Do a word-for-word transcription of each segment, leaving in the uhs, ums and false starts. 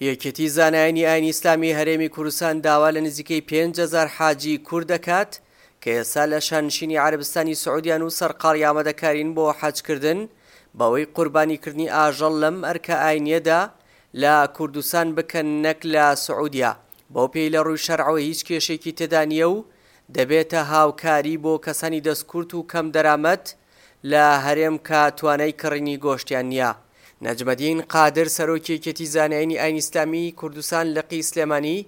یەکێتی زانایانی ئاینی ئیسلامی هەرێمی کوردستان داوا لە نزیکەی پێنج هەزار حاجی کورد دەکات کە ئێستا لە شانشینی عەرەبستانی سعودیان و سەرقاڵی ئامادەکارین بۆ حەجکردن، بەوەی قوربانیکردنی ئاژەڵ لەم ئەرکە ئاینیەدا لە کوردستان بکەن نەک لە سعودیا، بەو پێی لە ڕووی شەرعەوە هیچ کێشێکی تێدا نییە و دەبێتە هاوکاری بۆ کەسانی دەستکورت و کەم دەرامەت لە هەرێم کە توانای کڕینی گۆشتیان نییە. نەجمەدین قادر سەرۆکی یەکێتی زانایانی ئاینی ئیسلامی کوردستان لقی سلێمانی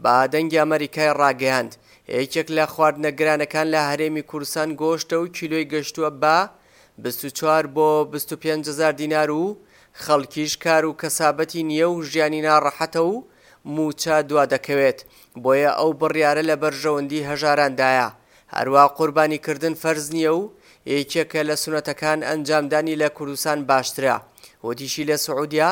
بە دەنگی ئەمەریکای ڕاگەیاند، یەکێک لە خواردنە گرانەکان لە هەرێمی کوردستان گۆشتە و کیلۆی گەشتووە بە بیست و چوار بۆ بیست و پێنج هەزار دینار و خەڵکیش کار و کەسابەتی نییە و ژیانی ناڕەحەتە و موچە دوا دەکەوێت، بۆیە ئەو بڕیارە لە بەرژەوەندی هەژاراندایە. هەروە قوربانیکردن فەرز نییە و یەکێکە لە سونەتەکان ئەنجامدانی لە کوردستان باشترە. وتیشی لە سعودیا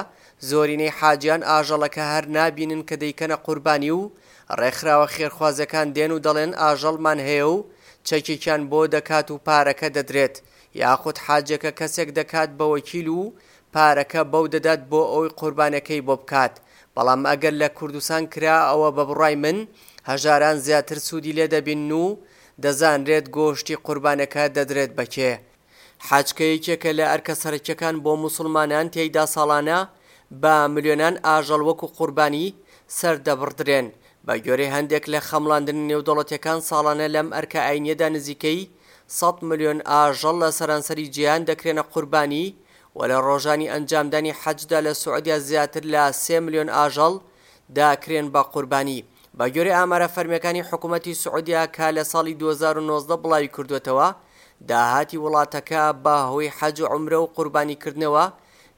زۆرینەی حاجیان ئاژەڵەکە هەر نابینن کە دەیکەنە قوربانی و ڕێکخراوە خێرخوازەکان دێن و دەڵێن ئاژەڵمان هەیە و چەکێکیان بۆ دەکات و پارەکە دەدرێت، یاخود حاجەکە کەسێک دەکات بە وەکیل و پارەکە بەو دەدات بۆ ئەوی قوربانەکەی بۆ بکات. بەڵام ئەگەر لە کوردستان کرا ئەوە بە بڕای من هەژاران زیاتر سوودی لێ دەبین و دەزانرێت گۆشتی قوربانەکە دەدرێت بەکێ. حەج کە یەکێکە لە ئەرکە سەرەکیەکان بۆ موسڵمانان، تێیدا ساڵانە بە ملیۆنان ئاژەڵ وەکو قوربانی سەردەبڕدرێن. بە گوێرەی هەندێک لە خەمڵاندن نێودەوڵەتیەکان ساڵانە لەم ئەرکە ئاینیەدا نزیکەی سەد ملیۆن ئاژەڵ لە سەرانسەری جیهان دەکرێنە قوربانی و لە ڕۆژانی ئەنجامدانی حەجدا لە سعودیا زیاتر لە سێ ملیۆن ئاژەڵ داکرێن بە قوربانی. بە گوێرەی ئامارە فەرمیەکانی حکوومەتی سعودیا کە لە ساڵی دوو هەزار و نۆزدە بڵاوی کردوێتەوە، داهاتی وڵاتەکە بە هۆی حەج و عومرە و قوربانیکردنەوە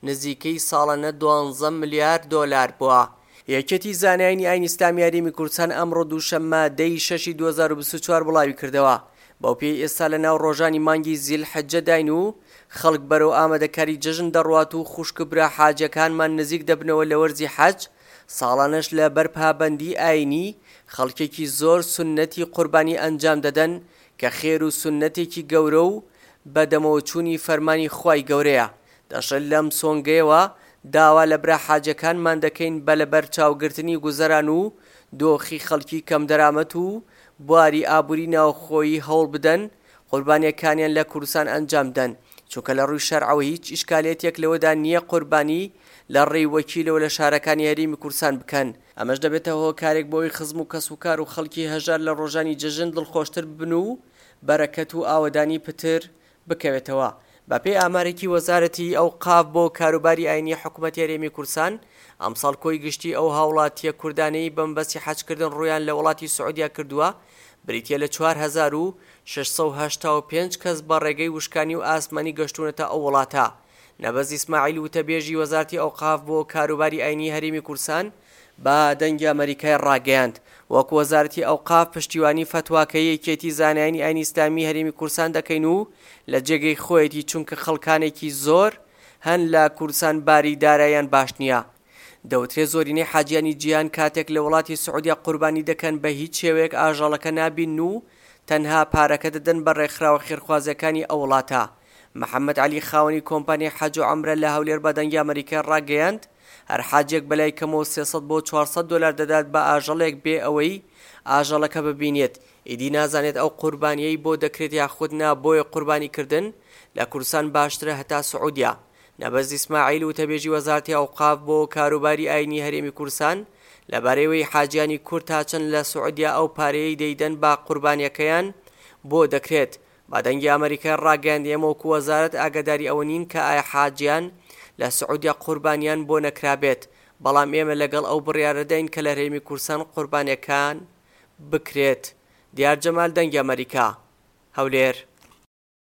نزیکەی ساڵانە دوانزە ملیار دۆلار بووە. یەکێتی زانایانی ئاینی ئیسلامی هەرێمی کوردستان ئەمڕۆ دووشەممە دەی شەشی دوو هەزار و بیست و چوار بڵاوی کردەوە، بەو پێی ئێستا لە ناو ڕۆژانی مانگی زیل حەجەداین و خەڵک بەرەو ئامادەکاری جەژن دەڕوات و خوشک برا حاجەکانمان نزیک دەبنەوە لە وەرزی حەج، ساڵانەش لە بەر پابەندی ئاینی خەڵکێکی زۆر سوننەتی قوربانی ئەنجام دەدەن کە خێر و سوننەتێکی گەورە و بەدەمەوەچوونی فەرمانی خوای گەورەیە. دەشڵێت لەم سۆنگەیەوە داوا لە برا حاجەکانمان دەکەین بە لەبەرچاوگرتنی گوزەران و دۆخی خەڵکی کەمدەرامەت و بواری ئابووری ناوخۆیی هەوڵ بدەن قوربانیەکانیان لە کوردستان ئەنجام بدەن، چونکە لە ڕووی شەرعەوە هیچ ئیشکالێتێک لەوەدا نییە قوربانی لە ڕێی وەکیلەوە لە شارەکانی هەرێمی کوردستان بکەن. ئەمەش دەبێتە هۆکارێک بۆی خزم و کەسوکار و خەڵکی هەژار لە ڕۆژانی جەژن دڵخۆشتر ببن و بەرەکەت و ئاوەدانی پتر بکەوێتەوە. بەپێی ئامارێکی وەزارەتی ئەوقاف بۆ کاروباری ئاینی حکوومەتی هەرێمی کوردستان، ئەمساڵ کۆی گشتی ئەو هاوڵاتیە کوردانەی بەمبەستی حەجکردن ڕوویان لە وڵاتی سعودیا کردووە بریتیە لە چوار هەزار و شەش سەد و هەشتا و پێنج کەس بە ڕێگەی وشکانی و ئاسمانی گەشتونەتە ئەو وڵاتە. نەبەز ئیسماعیل وتەبێژی وەزارەتی ئەوقاف بۆ کاروباری ئاینی هەرێمی کوردستان بە دەنگی ئەمەریکای ڕاگەیاند، وەکو وەزارەتی ئەوقاف پشتیوانی فەتواکەی یەکێتی زانایانی ئاینی ئیسلامی هەرێمی کوردستان دەکەین و لە جێگەی خۆیەتی، چونکە خەڵکانێکی زۆر هەن لە کوردستان باری دارایان باش نییە. دەوترێت زۆرینەی حاجیانی جیهان کاتێک لە وڵاتی سعودیا قوربانی دەکەن بە هیچ شێوەیەک ئاژەڵەکە نابین و تەنها پارەکە دەدەن بە ڕێکخراوە خێرخوازیەکانی ئەو وڵاتە. محەممەد عەلی خاوەنی کۆمپانیای حەج و عەمرە لە هەولێر بە دەنگی ئەمریکای ڕاگەیاند، هەر حاجێک بەلای کەمەوە سێ سەد بۆ چوار سەد دۆلار دەدات بە ئاژەڵێک بێ ئەوەی ئاژەڵەکە ببینێت، ئیدی نازانێت ئەو قوربانیەی بۆ دەکرێت یاخود نا، بۆیە قوربانیکردن لە کوردستان باشترە هەتا سعودیا. نەبەز ئیسماعیل وتەبێژی وەزارەتی ئەوقاف بۆ کاروباری ئاینی هەرێمی کوردستان لەبارەیەوەی حاجیانی کورد تا چەند لە سعودیا ئەو پارەیەی دەیدەن بە قوربانیەکەیان بۆ دەکرێت، بە دەنگی ئەمریکای ڕاگەیاند، ئێمە وەکو وەزارەت ئاگاداری ئەوە نین کە ئایا حاجیان لە سعودیا قوربانیان بۆ نەکرابێت، بەڵام ئێمە لەگەڵ ئەو بڕیارەداین کە لە هەرێمی کوردستان قوربانیەکان بکرێت. دیار جەمال، دەنگی ئەمریکا، هەولێر.